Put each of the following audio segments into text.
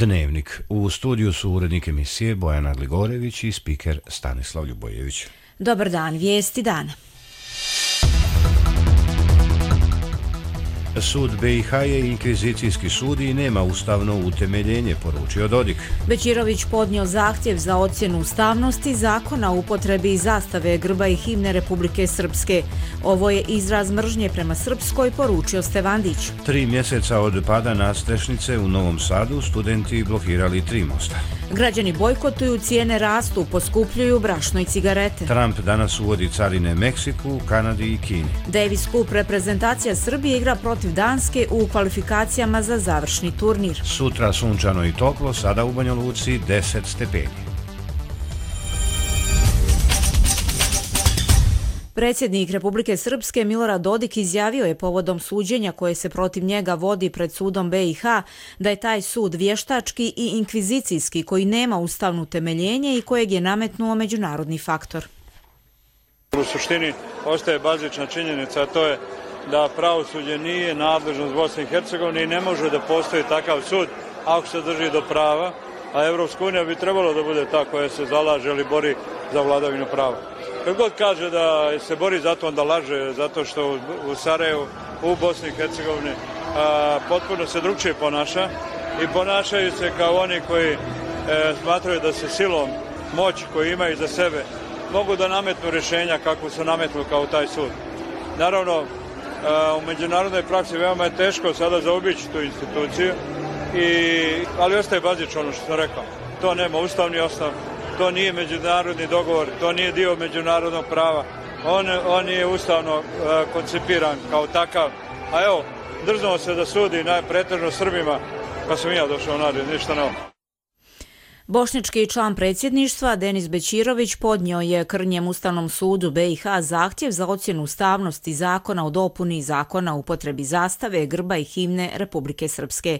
Dnevnik. U studiju su urednik emisije Bojana Gligorević i spiker Stanislav Ljubojević. Dobar dan, vijesti dana. Sud BiH je inkvizicijski sud i nema ustavno utemeljenje, poručio Dodik. Bećirović podnio zahtjev za ocjenu ustavnosti zakona o upotrebi zastave, grba i himne Republike Srpske. Ovo je izraz mržnje prema Srpskoj, poručio Stevandić. 3 mjeseca od pada nadstrešnice u Novom Sadu studenti blokirali 3 mosta. Građani bojkotuju, cijene rastu, poskupljuju brašno i cigarete. Trump danas uvodi carine Meksiku, Kanadi i Kini. Davis Cup reprezentacija Srbije igra protiv Danske u kvalifikacijama za završni turnir. Sutra sunčano i toplo, sada u Banja Luci 10 stepeni. Predsjednik Republike Srpske Milorad Dodik izjavio je povodom suđenja koje se protiv njega vodi pred sudom BiH da je taj sud vještački i inkvizicijski koji nema ustavno temeljenje i kojeg je nametnuo međunarodni faktor. U suštini ostaje bazična činjenica, a to je da pravosuđe nije nadležnost Bosne i Hercegovine i ne može da postoji takav sud ako se drži do prava, a Evropska unija bi trebalo da bude ta koja se zalaže ili bori za vladavinu prava. Kad god kaže da se bori za to, onda laže, zato što u Sarajevu, u Bosni i Hercegovini potpuno se drugčije ponaša i ponašaju se kao oni koji smatraju da se silom, moć koju imaju za sebe, mogu da nametnu rješenja kako su nametnu kao taj sud. Naravno, u međunarodnoj praksi veoma je teško sada zaobići tu instituciju, ali ostaje bazično ono što sam rekao. To nema ustavni osnov, to nije međunarodni dogovor, to nije dio međunarodnog prava. On je ustavno koncipiran kao takav. A evo, drznuo se da sudi pretežno Srbima, pa sam ja došao nađe, ništa novo. Bošnjački član predsjedništva Denis Bećirović podnio je Krnjem Ustavnom sudu BiH zahtjev za ocjenu ustavnosti zakona o dopuni zakona o upotrebi zastave, grba i himne Republike Srpske.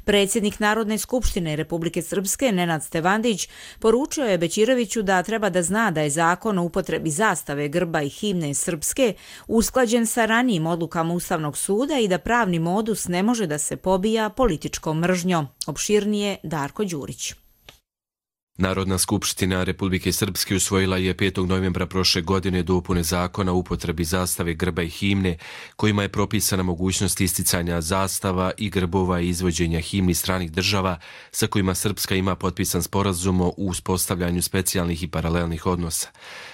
Predsjednik Narodne skupštine Republike Srpske Nenad Stevandić poručio je Bećiroviću da treba da zna da je zakon o upotrebi zastave, grba i himne Srpske usklađen sa ranijim odlukama Ustavnog suda i da pravni modus ne može da se pobija političkom mržnjom. Opširnije Darko Đurić. Narodna skupština Republike Srpske usvojila je 5. novembra prošle godine dopune zakona o upotrebi zastave, grba i himne, kojima je propisana mogućnost isticanja zastava i grbova i izvođenja himni stranih država sa kojima Srpska ima potpisan sporazum o uspostavljanju specijalnih i paralelnih odnosa.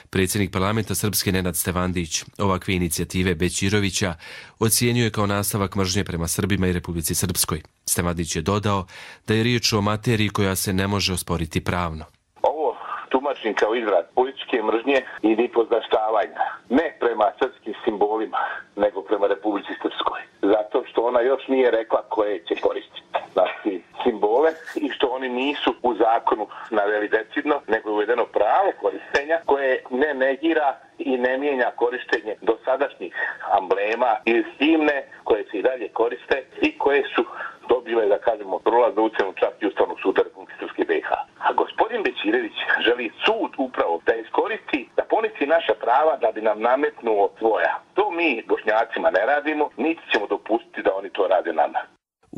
Predsjednik parlamenta Srpske Nenad Stevandić ovakve inicijative Bećirovića ocijenio je kao nastavak mržnje prema Srbima i Republici Srpskoj. Stevandić je dodao da je riječ o materiji koja se ne može osporiti pravno. Ovo tumačim kao izraz političke mržnje i nipodaštavanja, ne prema srpskim simbolima, nego prema Republici Srpskoj. Zato što ona još nije rekla koje će koristiti. Znači, simbole i što oni nisu u zakonu naveli decidno, nego je uvedeno pravo korištenja koje ne negira i ne mijenja korištenje dosadašnjih amblema i himne koje se i dalje koriste i koje su dobile, da kažemo, prolaznu ocjenu čak i Ustavnog suda Republike Srpske BiH. A gospodin Bećirović želi sud upravo da iskoristi, da poništi naša prava da bi nam nametnuo svoja. To mi Bošnjacima ne radimo, niti ćemo dopustiti da oni to rade nama.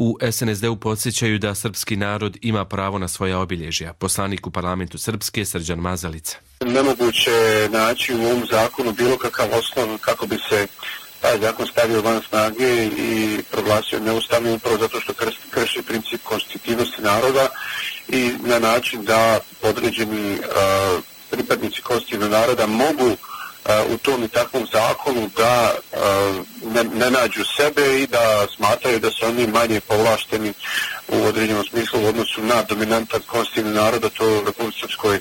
U SNSD-u podsjećaju da srpski narod ima pravo na svoja obilježja. Poslanik u parlamentu Srpske Srđan Mazalica. Nemoguće je naći u ovom zakonu bilo kakav osnov kako bi se taj zakon stavio van snage i proglasio neustavnim upravo zato što krši princip konstitutivnosti naroda i na način da određeni pripadnici konstitutivnog naroda mogu u tom i takvom zakonu da ne nađu sebe i da smatraju da su oni manje povlašteni u određenom smislu u odnosu na dominantan konstitutivni narod, a to je u Republici Srpskoj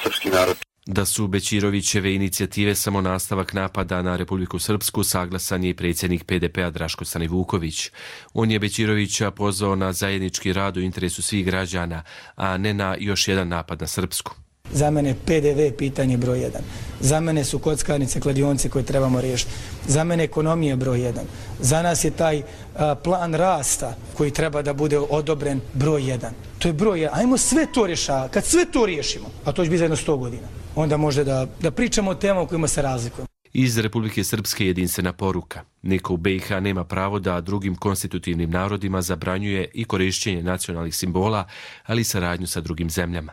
srpski narod. Da su Bećirovićeve inicijative samo nastavak napada na Republiku Srpsku, saglasan je i predsjednik PDP-a Draško Stanivuković. On je Bećirovića pozvao na zajednički rad u interesu svih građana, a ne na još jedan napad na Srpsku. Za mene PDV pitanje broj 1. Za mene su kockarnice, kladionce koje trebamo riješiti. Za mene ekonomija broj 1. Za nas je taj plan rasta koji treba da bude odobren broj 1. To je broj 1. Ajmo sve to rješavati. Kad sve to riješimo, a to će biti za jedno 100 godina, onda može da pričamo o temama u kojima se razlikujemo. Iz Republike Srpske jedinstvena poruka. Niko u BiH nema pravo da drugim konstitutivnim narodima zabranjuje i korišćenje nacionalnih simbola, ali i saradnju sa drugim zemljama.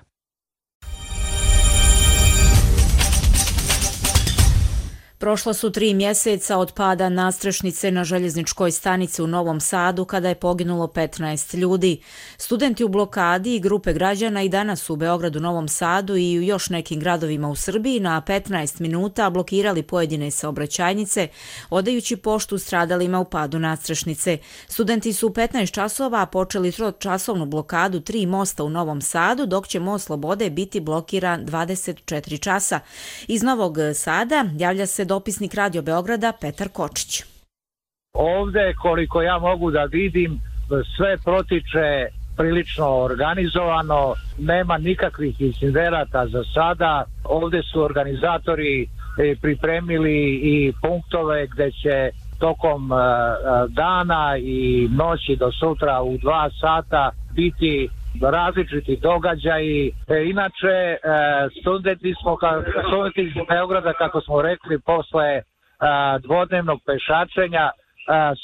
Prošla su 3 mjeseca od pada nadstrešnice na željezničkoj stanici u Novom Sadu kada je poginulo 15 ljudi. Studenti u blokadi i grupe građana i danas u Beogradu, Novom Sadu i u još nekim gradovima u Srbiji na 15 minuta blokirali pojedine saobraćajnice, odajući poštu stradalima u padu nadstrešnice. Studenti su u 15 časova počeli 3-časovnu blokadu 3 mosta u Novom Sadu, dok će most Slobode biti blokiran 24 časa. Iz Novog Sada javlja se dopisnik Radio Beograda Petar Kočić. Ovde, koliko ja mogu da vidim, sve protiče prilično organizovano, nema nikakvih incidenata za sada. Ovde su organizatori pripremili i punktove gde će tokom dana i noći do sutra u 2 sata biti različiti događaji. Inače, studenti iz Beograda, kako smo rekli, posle dvodnevnog pešačenja,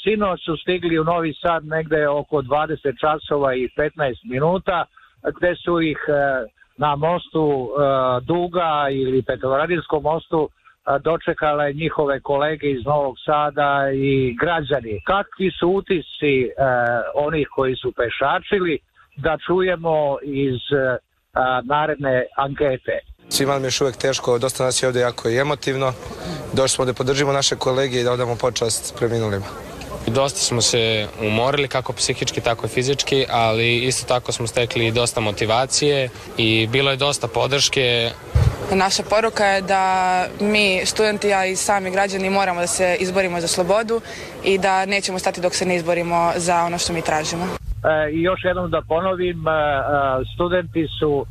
sinoć su stigli u Novi Sad negde oko 20 časova i 15 minuta, gde su ih na mostu Duga ili Petrovaradinskom mostu dočekale njihove kolege iz Novog Sada i građani. Kakvi su utisci onih koji su pešačili, da čujemo iz naredne ankete. Svima mi je još uvijek teško, dosta nas je ovdje jako i emotivno. Došli smo da podržimo naše kolege i da odamo počast preminulima. Dosta smo se umorili, kako psihički, tako i fizički, ali isto tako smo stekli dosta motivacije i bilo je dosta podrške. Naša poruka je da mi, studenti, a i sami građani, moramo da se izborimo za slobodu i da nećemo stati dok se ne izborimo za ono što mi tražimo. I još jednom da ponovim, studenti su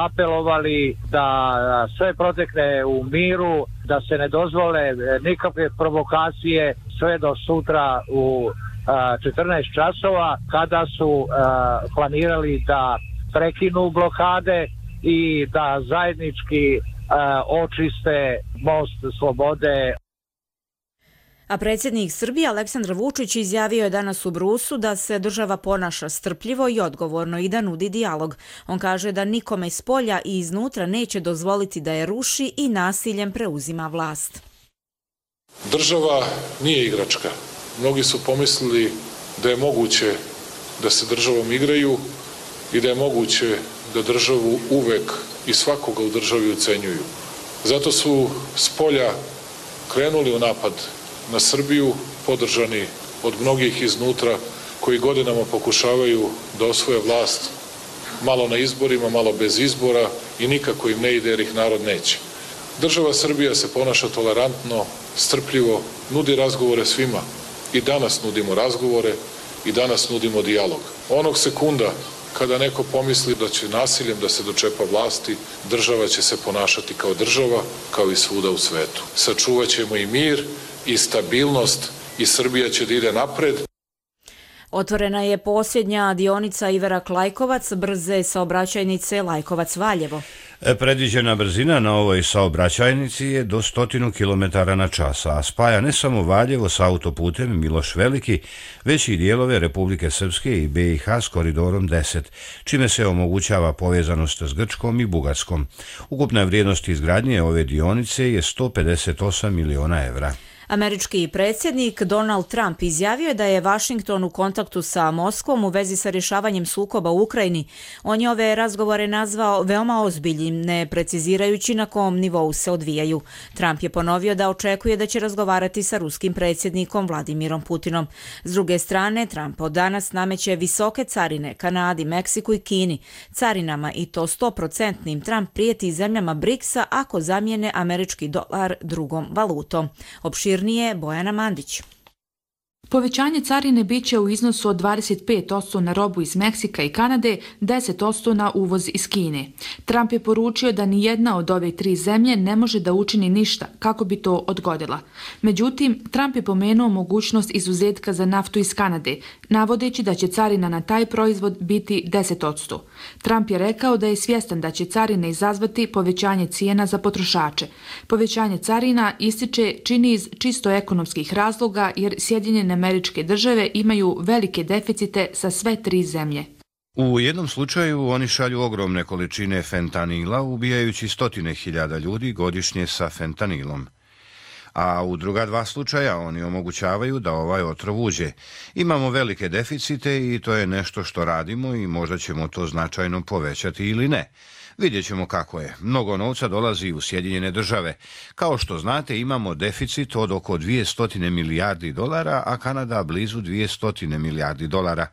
apelovali da sve protekne u miru, da se ne dozvole nikakve provokacije sve do sutra u 14 časova, kada su planirali da prekinu blokade i da zajednički očiste most Slobode. A predsjednik Srbije Aleksandar Vučić izjavio je danas u Brusu da se država ponaša strpljivo i odgovorno i da nudi dijalog. On kaže da nikome iz polja i iznutra neće dozvoliti da je ruši i nasiljem preuzima vlast. Država nije igračka. Mnogi su pomislili da je moguće da se državom igraju i da je moguće da državu uvek i svakoga u državi ucenjuju. Zato su s polja krenuli u napad na Srbiju, podržani od mnogih iznutra koji godinama pokušavaju da osvoje vlast, malo na izborima, malo bez izbora i nikako im ne ide jer ih narod neće. Država Srbija se ponaša tolerantno, strpljivo, nudi razgovore svima. I danas nudimo razgovore i danas nudimo dijalog. Onog sekunda kada neko pomisli da će nasiljem da se dočepa vlasti, država će se ponašati kao država, kao i svuda u svetu. Sačuvat ćemo i mir i stabilnost i Srbija će da ide napred. Otvorena je posljednja dionica Iverak-Lajkovac, brze saobraćajnice Lajkovac-Valjevo. Predviđena brzina na ovoj saobraćajnici je do 100 km/h, a spaja ne samo Valjevo sa autoputem Miloš Veliki, već i dijelove Republike Srpske i BiH s koridorom 10, čime se omogućava povezanost s Grčkom i Bugarskom. Ukupna vrijednost izgradnje ove dionice je 158 miliona evra. Američki predsjednik Donald Trump izjavio je da je Vašington u kontaktu sa Moskvom u vezi sa rješavanjem sukoba u Ukrajini. On je ove razgovore nazvao veoma ozbiljnim, ne precizirajući na kom nivou se odvijaju. Trump je ponovio da očekuje da će razgovarati sa ruskim predsjednikom Vladimirom Putinom. S druge strane, Trump od danas nameće visoke carine Kanadi, Meksiku i Kini. Carinama i to 100%. Trump prijeti zemljama BRICS-a ako zamijene američki dolar drugom valutom. Opširnije Bojana Mandić. Povećanje carine biće u iznosu od 25% na robu iz Meksika i Kanade, 10% na uvoz iz Kine. Trump je poručio da ni jedna od ove 3 zemlje ne može da učini ništa kako bi to odgodila. Međutim, Trump je pomenuo mogućnost izuzetka za naftu iz Kanade, navodeći da će carina na taj proizvod biti 10%. Trump je rekao da je svjestan da će carine izazvati povećanje cijena za potrošače. Povećanje carina, ističe, čini iz čisto ekonomskih razloga jer Sjedinjene Američke države imaju velike deficite sa sve 3 zemlje. U jednom slučaju oni šalju ogromne količine fentanila, ubijajući 100.000 ljudi godišnje sa fentanilom. A u druga 2 slučaja oni omogućavaju da ovaj otrov uđe. Imamo velike deficite i to je nešto što radimo i možda ćemo to značajno povećati ili ne. Vidjet ćemo kako je. Mnogo novca dolazi u Sjedinjene države. Kao što znate, imamo deficit od oko 200 milijardi dolara, a Kanada blizu 200 milijardi dolara.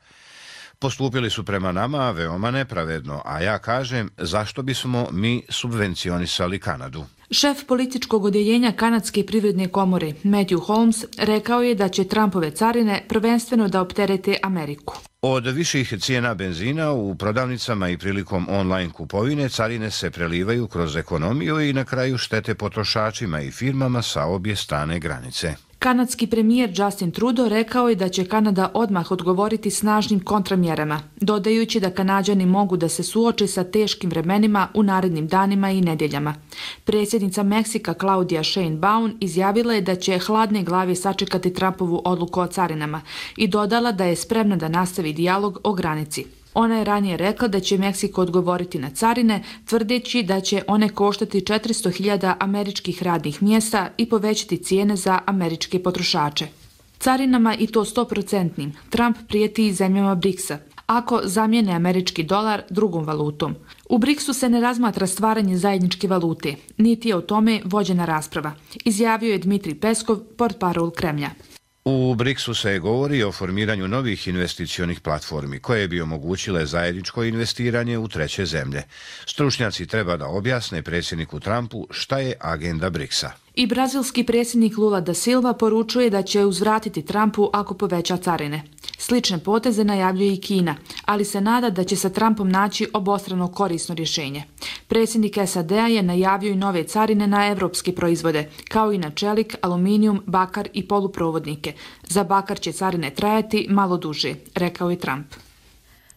Postupili su prema nama veoma nepravedno, a ja kažem zašto bismo mi subvencionisali Kanadu. Šef političkog odjeljenja Kanadske privredne komore, Matthew Holmes, rekao je da će Trumpove carine prvenstveno da opterete Ameriku. Od viših cijena benzina u prodavnicama i prilikom online kupovine carine se prelivaju kroz ekonomiju i na kraju štete potrošačima i firmama sa obje strane granice. Kanadski premijer Justin Trudeau rekao je da će Kanada odmah odgovoriti snažnim kontramjerama, dodajući da Kanađani mogu da se suoče sa teškim vremenima u narednim danima i nedjeljama. Predsjednica Meksika Claudia Sheinbaum izjavila je da će hladne glave sačekati Trumpovu odluku o carinama i dodala da je spremna da nastavi dijalog o granici. Ona je ranije rekla da će Meksiko odgovoriti na carine, tvrdeći da će one koštati 400.000 američkih radnih mjesta i povećati cijene za američke potrošače. Carinama, i to 100%, Trump prijeti zemljama BRICS-a, ako zamijene američki dolar drugom valutom. U BRICS-u se ne razmatra stvaranje zajedničke valute, niti je o tome vođena rasprava, izjavio je Dmitrij Peskov, portparol Kremlja. U BRICS-u se govori o formiranju novih investicionih platformi koje bi omogućile zajedničko investiranje u treće zemlje. Stručnjaci treba da objasne predsjedniku Trumpu šta je agenda BRICS-a. I brazilski predsjednik Lula da Silva poručuje da će uzvratiti Trumpu ako poveća carine. Slične poteze najavljuje i Kina, ali se nada da će sa Trumpom naći obostrano korisno rješenje. Predsjednik SAD-a je najavio i nove carine na evropske proizvode, kao i na čelik, aluminijum, bakar i poluprovodnike. Za bakar će carine trajati malo duže, rekao je Trump.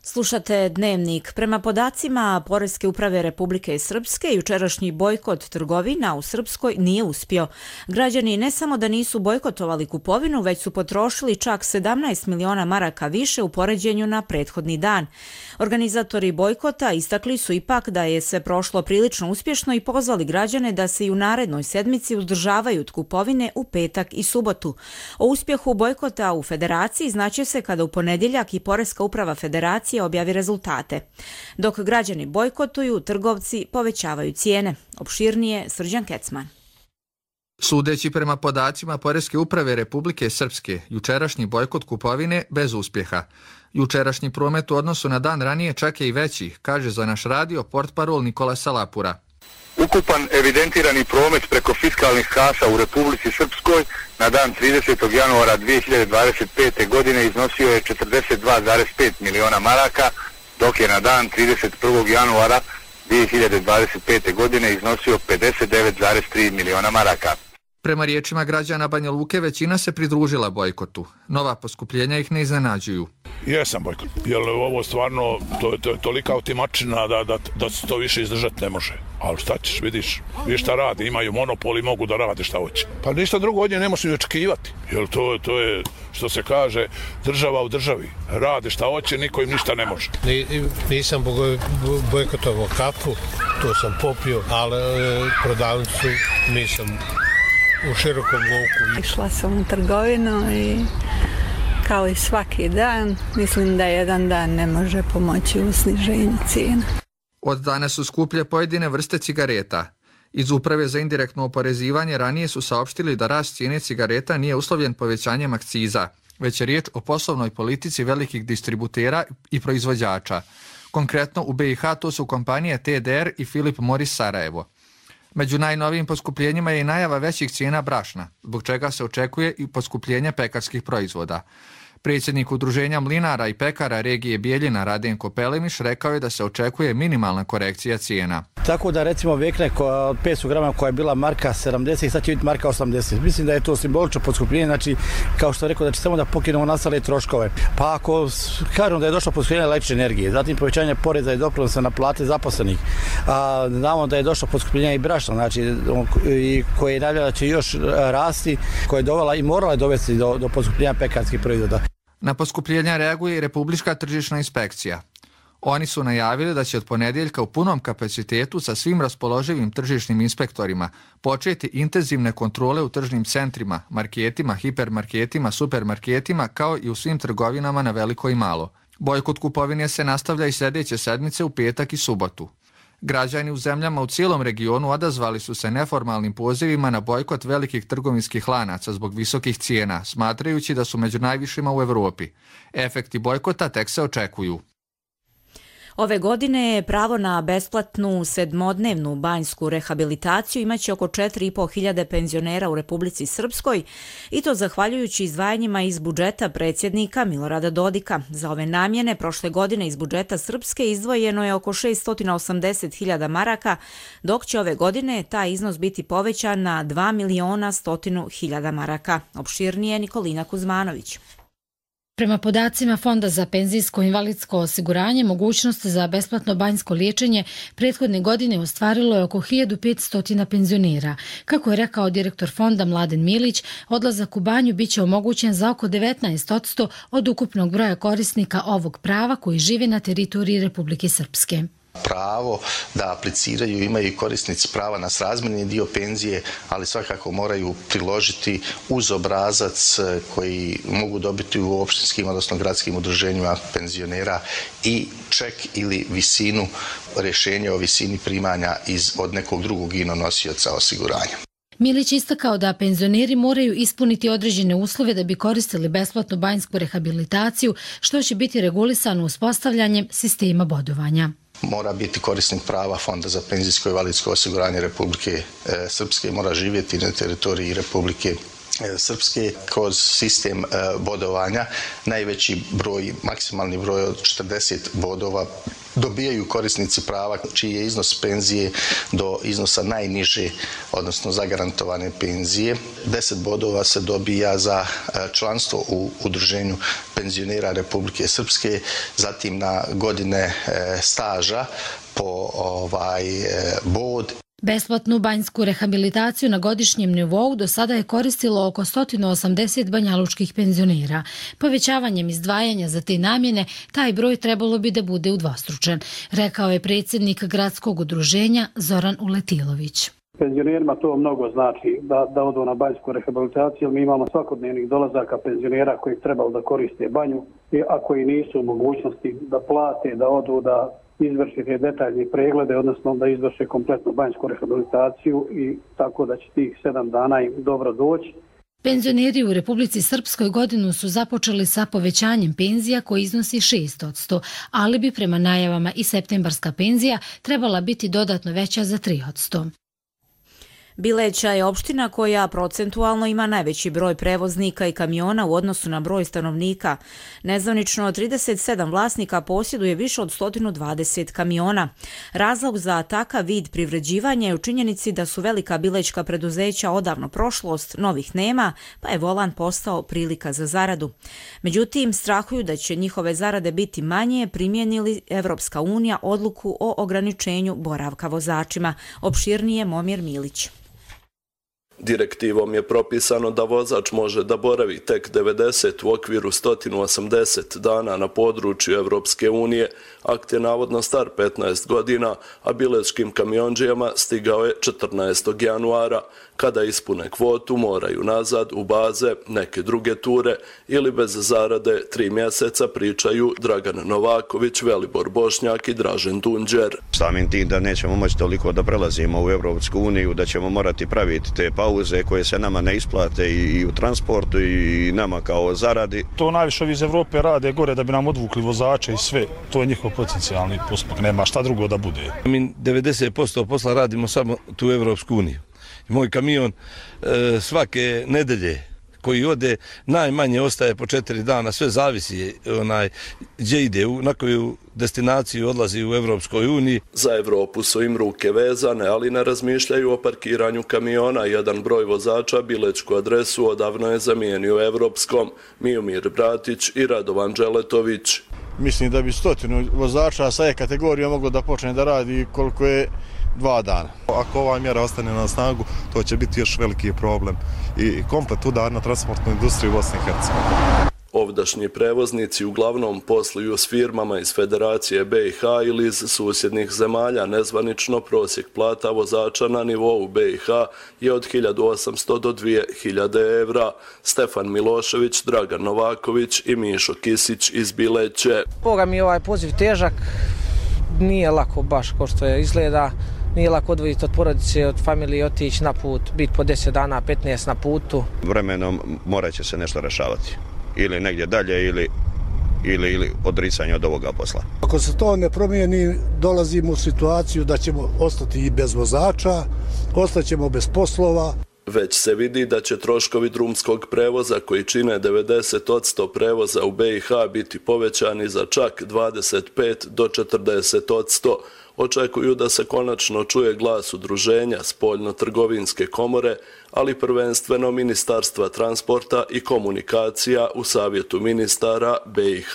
Slušate Dnevnik. Prema podacima Poreske uprave Republike Srpske, jučerašnji bojkot trgovina u Srpskoj nije uspio. Građani ne samo da nisu bojkotovali kupovinu, već su potrošili čak 17 miliona maraka više u poređenju na prethodni dan. Organizatori bojkota istakli su ipak da je sve prošlo prilično uspješno i pozvali građane da se i u narednoj sedmici uzdržavaju od kupovine u petak i subotu. O uspjehu bojkota u Federaciji znaće se kada u ponedjeljak i Poreska uprava Federacije objavi rezultate. Dok građani bojkotuju, trgovci povećavaju cijene. Opširnije Srđan Kecman. Sudeći prema podacima Poreske uprave Republike Srpske, jučerašnji bojkot kupovine bez uspjeha. Jučerašnji promet u odnosu na dan ranije čak je i veći, kaže za naš radio portparol Nikola Salapura. Ukupan evidentirani promet preko fiskalnih kasa u Republici Srpskoj na dan 30. januara 2025. godine iznosio je 42,5 miliona maraka, dok je na dan 31. januara 2025. godine iznosio 59,3 miliona maraka. Prema riječima građana Banja Luke, većina se pridružila bojkotu. Nova poskupljenja ih ne iznenađuju. Jesam bojkot, jer ovo stvarno, to je tolika otimačina da se to više izdržati ne može. Ali šta ćeš, vidiš šta radi, imaju monopol i mogu da rade šta hoće. Pa ništa drugo od nje ne možeš ni očekivati, jer to je, što se kaže, država u državi. Rade šta hoće, niko im ništa ne može. Nisam bojkotovao kafu, to sam popio, ali prodavnicu nisam u širokom luku. Išla sam u trgovinu i kao i svaki dan, mislim da jedan dan ne može pomoći u sniženju cijena. Od danas su skuplje pojedine vrste cigareta. Iz Uprave za indirektno oporezivanje ranije su saopštili da rast cijene cigareta nije uslovljen povećanjem akciza, već je riječ o poslovnoj politici velikih distributera i proizvođača. Konkretno u BiH to su kompanije TDR i Philip Morris Sarajevo. Među najnovijim poskupljenjima je i najava većih cijena brašna, zbog čega se očekuje i poskupljenje pekarskih proizvoda. Predsjednik Udruženja mlinara i pekara regije Bijeljina Radenko Pelemiš rekao je da se očekuje minimalna korekcija cijena. Tako da recimo vekne od 500 grama koja je bila marka 70, sad će biti marka 80. Mislim da je to simbolično poskupljenje, znači kao što je rekao da će samo da pokinemo nastale troškove. Pa ako kažemo da je došlo poskupljenje električne energije, zatim povećanje poreza i doprinosa na plate zaposlenih, a znamo da je došlo poskupljenje i brašna, znači koje je najavljeno da će još rasti, koje je dovela i morala je dovesti do poskupljenja pekarskih proizvoda. Na poskupljenja reaguje i Republička tržišna inspekcija. Oni su najavili da će od ponedjeljka u punom kapacitetu sa svim raspoloživim tržišnim inspektorima početi intenzivne kontrole u tržnim centrima, marketima, hipermarketima, supermarketima kao i u svim trgovinama na veliko i malo. Bojkot kupovine se nastavlja i sljedeće sedmice u petak i subotu. Građani u zemljama u cijelom regionu odazvali su se neformalnim pozivima na bojkot velikih trgovinskih lanaca zbog visokih cijena, smatrajući da su među najvišima u Europi. Efekti bojkota tek se očekuju. Ove godine pravo na besplatnu 7-dnevnu banjsku rehabilitaciju imaće oko 4.500 penzionera u Republici Srpskoj i to zahvaljujući izdvajanjima iz budžeta predsjednika Milorada Dodika. Za ove namjene prošle godine iz budžeta Srpske izdvojeno je oko 680.000 maraka, dok će ove godine taj iznos biti povećan na 2.100.000 maraka. Opširnije Nikolina Kuzmanović. Prema podacima Fonda za penzijsko invalidsko osiguranje, mogućnost za besplatno banjsko liječenje prethodne godine ostvarilo je oko 1500 penzionera. Kako je rekao direktor fonda Mladen Milić, odlazak u banju biće omogućen za oko 19% od ukupnog broja korisnika ovog prava koji žive na teritoriji Republike Srpske. Pravo da apliciraju imaju i korisnici prava na srazmjerni dio penzije, ali svakako moraju priložiti uz obrazac koji mogu dobiti u opštinskim, odnosno gradskim udruženjima penzionera i ček ili visinu, rješenje o visini primanja od nekog drugog nosioca osiguranja. Milić istakao da penzioneri moraju ispuniti određene uslove da bi koristili besplatnu banjsku rehabilitaciju, što će biti regulisano uspostavljanjem sistema bodovanja. Mora biti korisnik prava Fonda za penzijsko i invalidsko osiguranje Republike Srpske, mora živjeti na teritoriji Republike Srpske kroz sistem bodovanja. Najveći broj, maksimalni broj od 40 bodova dobijaju korisnici prava čiji je iznos penzije do iznosa najniže, odnosno zagarantovane penzije. 10 bodova se dobija za članstvo u udruženju penzionera Republike Srpske, zatim na godine staža po bod. Besplatnu banjsku rehabilitaciju na godišnjem nivou do sada je koristilo oko 180 banjalučkih penzionera. Povećavanjem izdvajanja za te namjene taj broj trebalo bi da bude udvostručen, rekao je predsjednik gradskog udruženja Zoran Uletilović. Penzionerima to mnogo znači da odu na banjsku rehabilitaciju. Mi imamo svakodnevnih dolazaka penzionera koji trebalo da koriste banju, a koji nisu u mogućnosti da plate, da odu da izvršiti detaljni preglede, odnosno da izvrše kompletnu banjsku rehabilitaciju i tako da će tih 7 dana im dobro doći. Penzioneri u Republici Srpskoj godinu su započeli sa povećanjem penzija koji iznosi 6%, ali bi prema najavama i septembarska penzija trebala biti dodatno veća za 3%. Bileća je opština koja procentualno ima najveći broj prevoznika i kamiona u odnosu na broj stanovnika. Nezvanično 37 vlasnika posjeduje više od 120 kamiona. Razlog za takav vid privređivanja je u činjenici da su velika bilećka preduzeća odavno prošlost, novih nema, pa je volan postao prilika za zaradu. Međutim, strahuju da će njihove zarade biti manje primijenili Evropska unija odluku o ograničenju boravka vozačima. Opširnije Momir Milić. Direktivom je propisano da vozač može da boravi tek 90 u okviru 180 dana na području Evropske unije. Akt je navodno star 15 godina, a bilečkim kamionđijama stigao je 14. januara. Kada ispune kvotu, moraju nazad u baze neke druge ture ili bez zarade 3 mjeseca, pričaju Dragan Novaković, Velibor Bošnjak i Dražen Dunđer. Samim tim da nećemo moći toliko da prelazimo u Evropsku uniju, da ćemo morati praviti te pauze pauze koje se nama ne isplate i u transportu i nama kao zaradi. To najviše ovi iz Evrope rade gore da bi nam odvukli vozače i sve. To je njihov potencijalni postupak, nema šta drugo da bude. Mi 90% posla radimo samo tu u Evropsku uniju. Moj kamion svake nedelje koji ode najmanje ostaje po 4 dana, sve zavisi gdje ide, na koju destinaciju odlazi u Evropskoj uniji. Za Evropu su im ruke vezane, ali ne razmišljaju o parkiranju kamiona. Jedan broj vozača bilečku adresu odavno je zamijenio evropskom. Miomir Bratić i Radovan Đeletović. Mislim da bi 100 vozača sa E-kategorijom moglo da počne da radi koliko je 2 dana. Ako ova mjera ostane na snagu, to će biti još veliki problem i komplet udar na transportnu industriju u Bosni i Hercegovini. Ovdašnji prevoznici uglavnom posluju s firmama iz Federacije BiH ili iz susjednih zemalja. Nezvanično prosjek plata vozača na nivou BiH je od 1800 do 2000 evra. Stefan Milošević, Dragan Novaković i Mišo Kisić iz Bileće. Boga mi je ovaj poziv težak, nije lako baš kao što je izgleda. Nije lako odvojiti od porodice, od familije, otići na put, biti po 10 dana, 15 na putu. Vremenom morat će se nešto rešavati. Ili negdje dalje ili odricanje od ovoga posla. Ako se to ne promijeni, dolazimo u situaciju da ćemo ostati i bez vozača, ostaćemo bez poslova. Već se vidi da će troškovi drumskog prevoza koji čine 90% prevoza u BiH biti povećani za čak 25 do 40%. Očekuju da se konačno čuje glas udruženja Spoljno-trgovinske komore, ali prvenstveno Ministarstva transporta i komunikacija u Savjetu ministara BiH.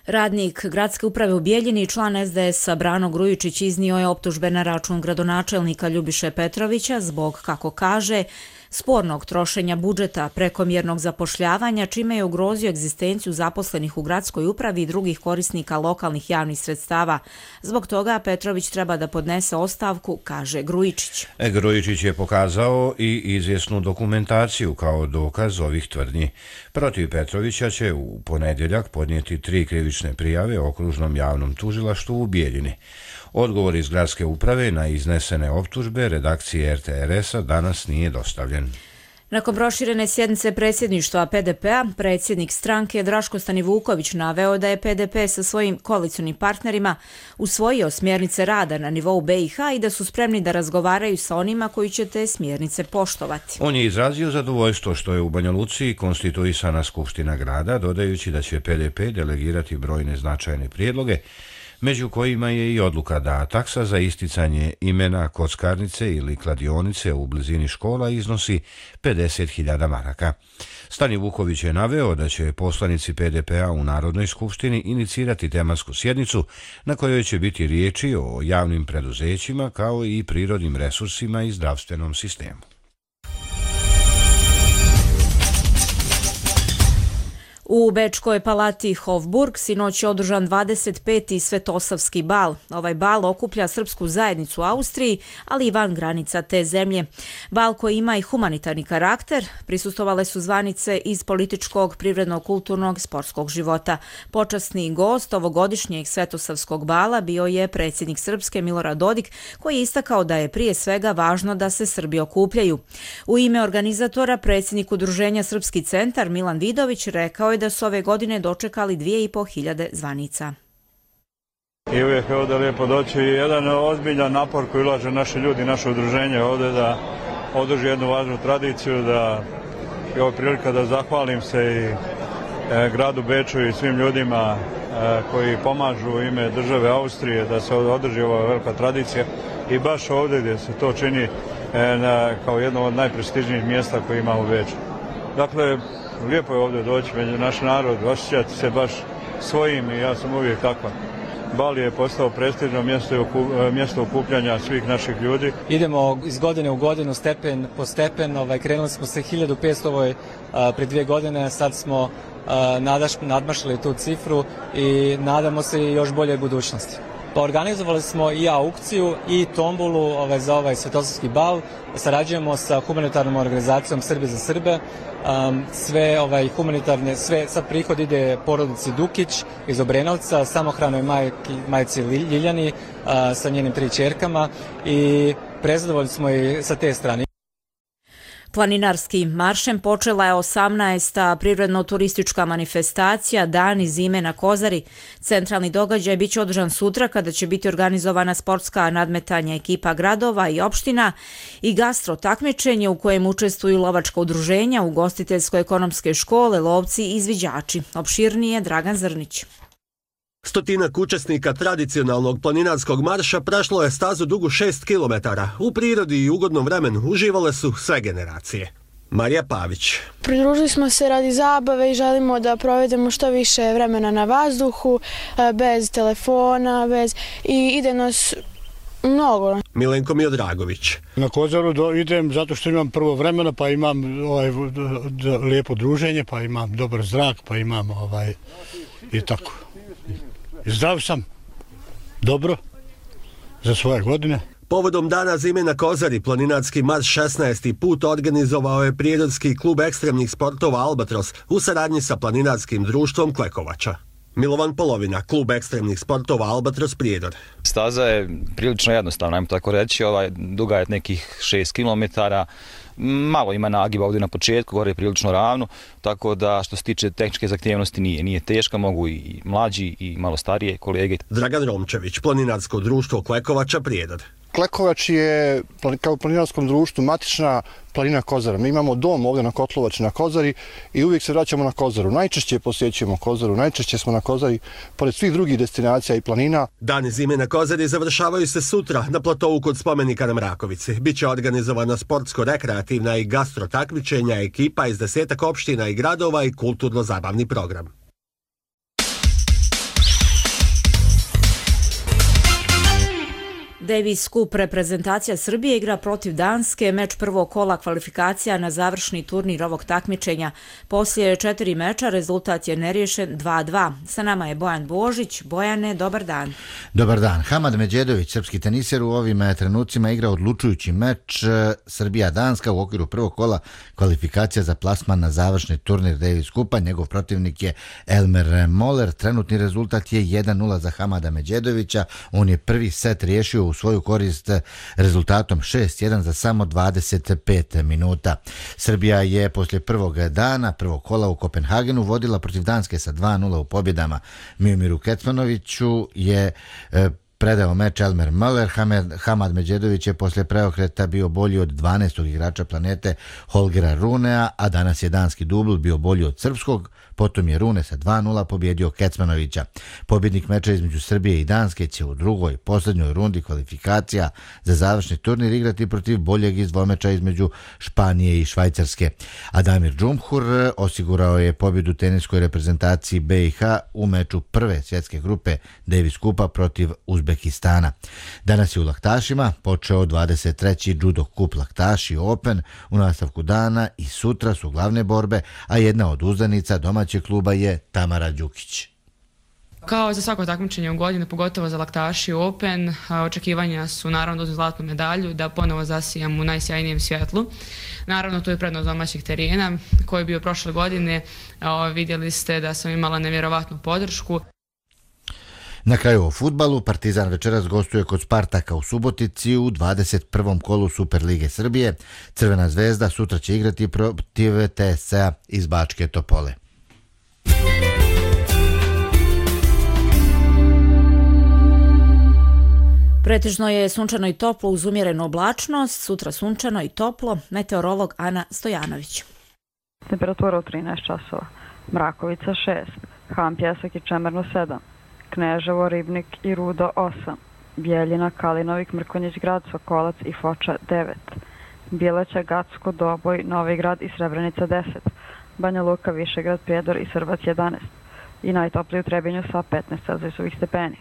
Radnik gradske uprave u Bijeljini i član SDS-a Brano Grujičić iznio je optužbe na račun gradonačelnika Ljubiše Petrovića zbog, kako kaže, spornog trošenja budžeta, prekomjernog zapošljavanja, čime je ugrozio egzistenciju zaposlenih u gradskoj upravi i drugih korisnika lokalnih javnih sredstava. Zbog toga Petrović treba da podnese ostavku, kaže Grujičić. Grujičić je pokazao i izvjesnu dokumentaciju kao dokaz ovih tvrdnji. Protiv Petrovića će u ponedjeljak podnijeti 3 krivične prijave okružnom javnom tužilaštvu u Bijeljini. Odgovor iz gradske uprave na iznesene optužbe redakcije RTRS-a danas nije dostavljen. Nakon proširene sjednice predsjedništva PDP-a, predsjednik stranke Draško Stanivuković naveo da je PDP sa svojim koalicionim partnerima usvojio smjernice rada na nivou BiH i da su spremni da razgovaraju sa onima koji će te smjernice poštovati. On je izrazio zadovoljstvo što je u Banja Luci konstituisana Skupština grada, dodajući da će PDP delegirati brojne značajne prijedloge, među kojima je i odluka da taksa za isticanje imena kockarnice ili kladionice u blizini škola iznosi 50.000 maraka. Stanivuković je naveo da će poslanici PDP-a u Narodnoj skupštini inicirati tematsku sjednicu na kojoj će biti riječi o javnim preduzećima kao i prirodnim resursima i zdravstvenom sistemu. U Bečkoj palati Hofburg sinoć je održan 25. Svetosavski bal. Ovaj bal okuplja srpsku zajednicu u Austriji, ali i van granica te zemlje. Bal koji ima i humanitarni karakter, prisustvovale su zvanice iz političkog, privrednog, kulturnog i sportskog života. Počasni gost ovogodišnjeg Svetosavskog bala bio je predsjednik Srpske Milorad Dodik, koji je istakao da je prije svega važno da se Srbi okupljaju. U ime organizatora predsjednik Udruženja Srpski centar Milan Vidović rekao je da su ove godine dočekali 2.500 zvanica. I uvijek je ovdje lijepo doći i jedan ozbiljan napor koji ulaže naši ljudi, naše udruženje ovdje da održi jednu važnu tradiciju, da je ovo prilika da zahvalim se i gradu Beču i svim ljudima koji pomažu u ime države Austrije da se održi ova velika tradicija i baš ovdje gdje se to čini kao jedno od najprestižnijih mjesta koje ima u Beču. Dakle, lijepo je ovdje doći među naš narod, osjećati se baš svojim i ja sam uvijek takva. Bal je postao prestižno mjesto okupljanja svih naših ljudi. Idemo iz godine u godinu, stepen po stepen, krenuli smo sa 1500 pre 2 godine, sad smo nadmašili tu cifru i nadamo se i još boljoj budućnosti. Pa organizovali smo i aukciju i tombolu za ovaj Svetosavski bal. Sarađujemo sa humanitarnom organizacijom Srbi za Srbe. Sve humanitarne, sad prihod ide porodici Dukić iz Obrenovca, samohranoj majci Ljiljani sa njenim 3 ćerkama i prezadovoljni smo i sa te strane. Planinarskim maršem počela je 18. prirodno-turistička manifestacija Dani zime na Kozari. Centralni događaj biće održan sutra kada će biti organizovana sportska nadmetanja ekipa gradova i opština i gastro takmičenje u kojem učestvuju lovačka udruženja, ugostiteljsko-ekonomske škole, lovci i izviđači. Opširnije Dragan Zrnić. Stotinak učesnika tradicionalnog planinarskog marša prešlo je stazu dugu 6 km. U prirodi i ugodnom vremenu uživale su sve generacije. Marija Pavić. Pridružili smo se radi zabave i želimo da provedemo što više vremena na vazduhu, bez telefona, i ide nas mnogo. Milenko Miodragović. Na Kozaru idem zato što imam prvo vremena, pa imam lijepo druženje, pa imam dobar zrak, pa imam i tako. Zdrav sam, dobro, za svoje godine. Povodom Dana zime na Kozari, planinarski marš 16. put organizovao je Prijedorski klub ekstremnih sportova Albatros u saradnji sa planinarskim društvom Klekovača. Milovan Polovina, klub ekstremnih sportova Albatros Prijedor. Staza je prilično jednostavna, ajmo tako reći, duga je nekih 6 km, malo ima nagiba ovdje na početku, gore je prilično ravno, tako da što se tiče tehničke zahtjevnosti nije teška, mogu i mlađi i malo starije kolege. Dragan Romčević, planinarsko društvo Klekovača Prijedor. Klekovač je kao planinarskom društvu matična planina Kozara. Mi imamo dom ovdje na Kotlovači na Kozari i uvijek se vraćamo na Kozaru. Najčešće posjećujemo Kozaru, najčešće smo na Kozari, pored svih drugih destinacija i planina. Dani zime na Kozari završavaju se sutra na platovu kod spomenika na Mrakovici. Biće organizovana sportsko-rekreativna i gastro takmičenja ekipa iz 10 opština i gradova i kulturno-zabavni program. Davis Cup reprezentacija Srbije igra protiv Danske, meč prvog kola kvalifikacija na završni turnir ovog takmičenja. Poslije 4 meča rezultat je neriješen 2:2. Sa nama je Bojan Božić. Bojane, dobar dan. Dobar dan. Hamad Međedović, srpski teniser, u ovim trenucima igra odlučujući meč Srbija-Danska u okviru prvog kola kvalifikacija za plasman na završni turnir Davis Cupa. Njegov protivnik je Elmer Moller. Trenutni rezultat je 1:0 za Hamada Međedovića. On je prvi set riješio u svoju korist rezultatom 6:1 za samo 25 minuta. Srbija je poslije prvog dana, prvog kola u Kopenhagenu vodila protiv Danske sa 2:0 u pobjedama. Miomiru Kecmanoviću je predao meč Elmer Moller. Hamad Međedović je poslije preokreta bio bolji od 12. igrača planete Holgera Runea, a danas je danski dubl bio bolji od srpskog, potom je Rune sa 2:0 pobjedio Kecmanovića. Pobjednik meča između Srbije i Danske će u drugoj, posljednjoj rundi kvalifikacija za završni turnir igrati protiv boljeg iz dvomeča između Španije i Švajcarske. Adamir Džumhur osigurao je pobjedu teniskoj reprezentaciji BiH u meču prve svjetske grupe Davis Cupa protiv Uzbekistana. Danas je u Laktašima počeo 23. Judo Cup Laktaši Open. U nastavku dana i sutra su glavne borbe, a jedna od uzdanica domaćeg kluba je Tamara Đukić. Kao za svako takmičenje u godini, pogotovo za Laktaši Open, očekivanja su naravno da uzmem zlatnu medalju, da ponovo zasijam u najsjajnijem svjetlu. Naravno, tu je prednost domaćih terena koji je bio prošle godine. Vidjeli ste da sam imala nevjerovatnu podršku. Na kraju o fudbalu, Partizan večeras gostuje kod Spartaka u Subotici u 21. kolu Superlige Srbije. Crvena zvezda sutra će igrati protiv TSC-a iz Bačke Topole. Pretežno je sunčano i toplo uz umjerenu oblačnost, sutra sunčano i toplo, meteorolog Ana Stojanović. Temperatura u 13 časova, Mrakovica 6, Han Pjesak i Čemerno 7, Kneževo, Ribnik i Rudo 8, Bjeljina, Kalinovik, Mrkonjić grad, Sokolac i Foča 9, Bileća, Gacko, Doboj, Novi grad i Srebrenica 10, Banja Luka, Višegrad, Prijedor i Srbac 11 i najtopliji u Trebinju sa 15 celzijusovih stepeni.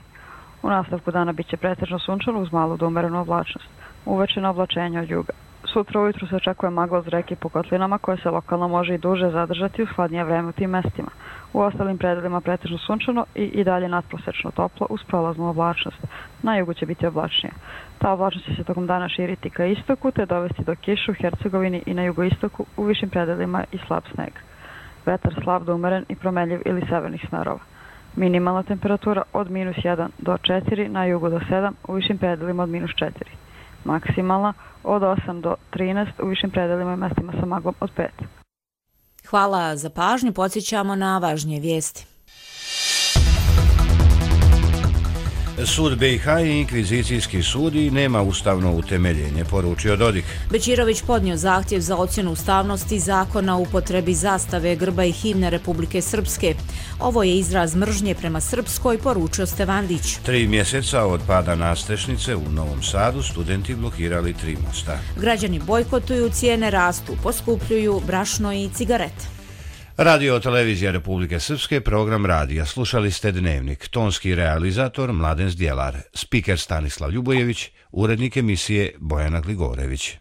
U nastavku dana biće pretežno sunčano uz malu do umerenu oblačnost. Uveče na oblačenje od juga. Sutra ujutru se očekuje magla uz reke po kotlinama koje se lokalno može i duže zadržati u hladnije vreme u tim mestima. U ostalim predelima pretežno sunčano i dalje nadprosečno toplo uz prolaznu oblačnost. Na jugu će biti oblačnije. Ta oblačnost će se tokom dana širiti ka istoku te dovesti do kiše u Hercegovini i na jugoistoku, u višim predelima i slab sneg. Vetar slab do umeren i promenljiv ili severnih smerova. Minimalna temperatura od -1 do 4, na jugu do 7, u višim predelima od -4. maksimalna od 8 do 13, u višim predelima i mestima sa maglom od 5. Hvala za pažnju, podsjećamo na važnije vijesti. Sud BiH je inkvizicijski sud i nema ustavno utemeljenje, poručio Dodik. Bećirović podnio zahtjev za ocjenu ustavnosti zakona o upotrebi zastave, grba i himne Republike Srpske. Ovo je izraz mržnje prema Srpskoj, poručio Stevandić. 3 mjeseca od pada nastrešnice u Novom Sadu studenti blokirali 3 mosta. Građani bojkotuju, cijene rastu, poskupljuju brašno i cigarete. Radio televizija Republike Srpske, program radija. Slušali ste Dnevnik. Tonski realizator Mladen Zdjelar. Spiker Stanislav Ljubojević. Urednik emisije Bojana Gligorević.